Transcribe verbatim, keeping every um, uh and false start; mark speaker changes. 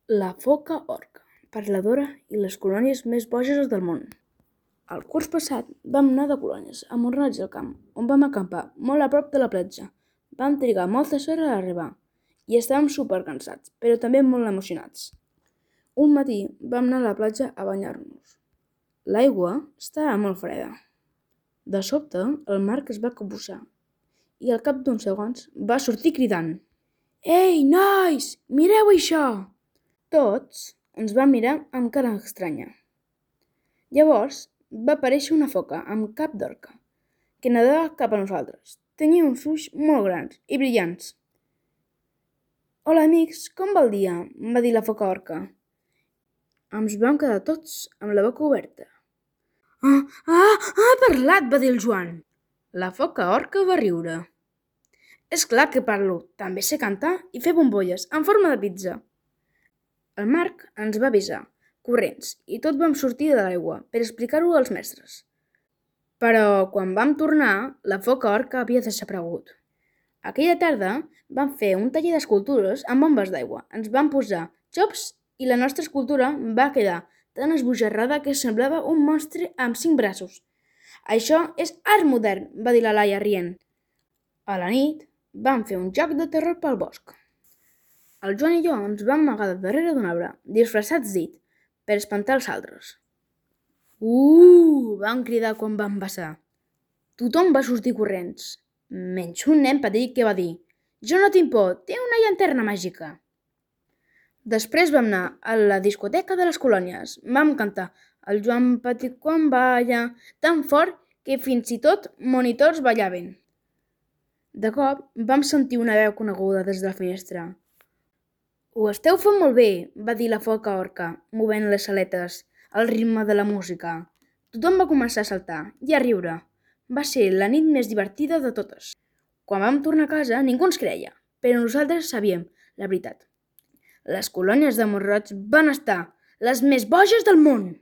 Speaker 1: La foca orca, parladora i les colònies més boges del món. El curs passat vam anar de colònies a Mornats del Camp, on vam acampar molt a prop de la platja. Vam trigar moltes hores a arribar i estàvem supercansats, però també molt emocionats. Un matí vam anar a la platja a banyar-nos. L'aigua estava molt freda. De sobte, el Marc es va capbussar i al cap d'uns segons va sortir cridant: «Ei, nois, mireu això!» Tots ens vam mirar amb cara estranya. Llavors va aparèixer una foca amb cap d'orca, que nedava cap a nosaltres. Tenia uns ulls molt grans i brillants. «Hola, amics, com va el dia?», va dir la foca orca. Ens vam quedar tots amb la boca oberta. «Ah, ah, ha parlat!», va dir el Joan. La foca orca va riure. «És clar que parlo, també sé cantar i fer bombolles en forma de pizza». El Marc ens va avisar, corrents, i tots vam sortir de l'aigua per explicar-ho als mestres. Però quan vam tornar, la foca orca havia desaparegut. Aquella tarda vam fer un taller d'escultures amb bombes d'aigua. Ens vam posar xops i la nostra escultura va quedar tan esbojarrada que semblava un monstre amb cinc braços. «Això és art modern», va dir la Laia rient. A la nit vam fer un joc de terror pel bosc. El Joan i jo ens vam amagar darrere d'un arbre, disfressats d'it, per espantar els altres. «Uh!», vam cridar quan vam passar. Tothom va sortir corrents, menys un nen petit que va dir: «Jo no tinc por, té una llanterna màgica». Després vam anar a la discoteca de les colònies. Vam cantar «El Joan petit quan balla» tan fort que fins i tot monitors ballaven. De cop vam sentir una veu coneguda des de la finestra. «Ho esteu fent molt bé», va dir la foca orca, movent les aletes al ritme de la música. Tothom va començar a saltar i a riure. Va ser la nit més divertida de totes. Quan vam tornar a casa ningú ens creia, però nosaltres sabíem la veritat. Les colònies de Mont-roig van estar les més boges del món!